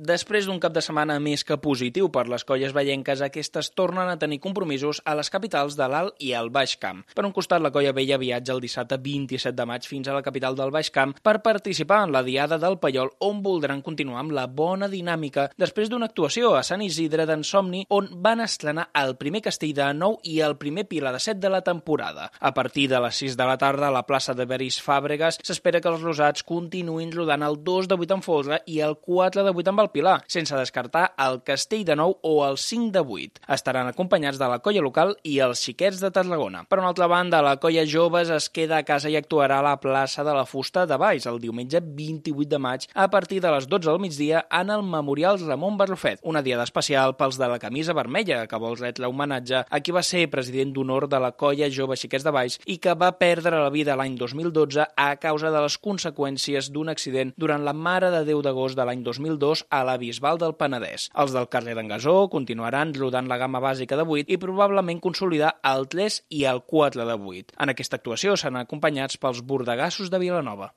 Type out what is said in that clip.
Després d'un cap de setmana més que positiu per les colles vallenques, aquestes tornen a tenir compromisos a les capitals de l'Alt i el Baix Camp. Per un costat, la colla vella viatja el dissabte 27 de maig fins a la capital del Baix Camp per participar en la Diada del Paiol, on voldran continuar amb la bona dinàmica després d'una actuació a Sant Isidre d'en Somni, on van estrenar el primer castell de nou i el primer Pilar de 7 de la temporada. A partir de les 6 de la tarda, a la plaça de Beris Fàbregas, s'espera que els rosats continuïn rodant el 2 de 8 amb Folre i el 4 de 8 amb el Pilar, sense descartar el castell de 9 o el 5 de 8. Estaran acompanyats de la colla local i els xiquets de Tarragona. Per una altra banda, la colla joves es queda a casa i actuarà a la plaça de la Fusta de Valls el diumenge 28 de maig a partir de les 12 del migdia en el Memorial Ramon Barrufet, una diada especial pels de la camisa vermella que vol retre homenatge a qui va ser president d'honor de la colla jove Xiquets de Valls i que va perdre la vida l'any 2012 a causa de les conseqüències d'un accident durant la Mare de Déu d'agost de l'any 2002 a la Bisbal del Penedès. Els del carrer d'en Gasó continuaran rodant la gamma bàsica de 8 i probablement consolidar el 3 i el 4 de 8. En aquesta actuació seran acompanyats pels bordegassos de Vilanova.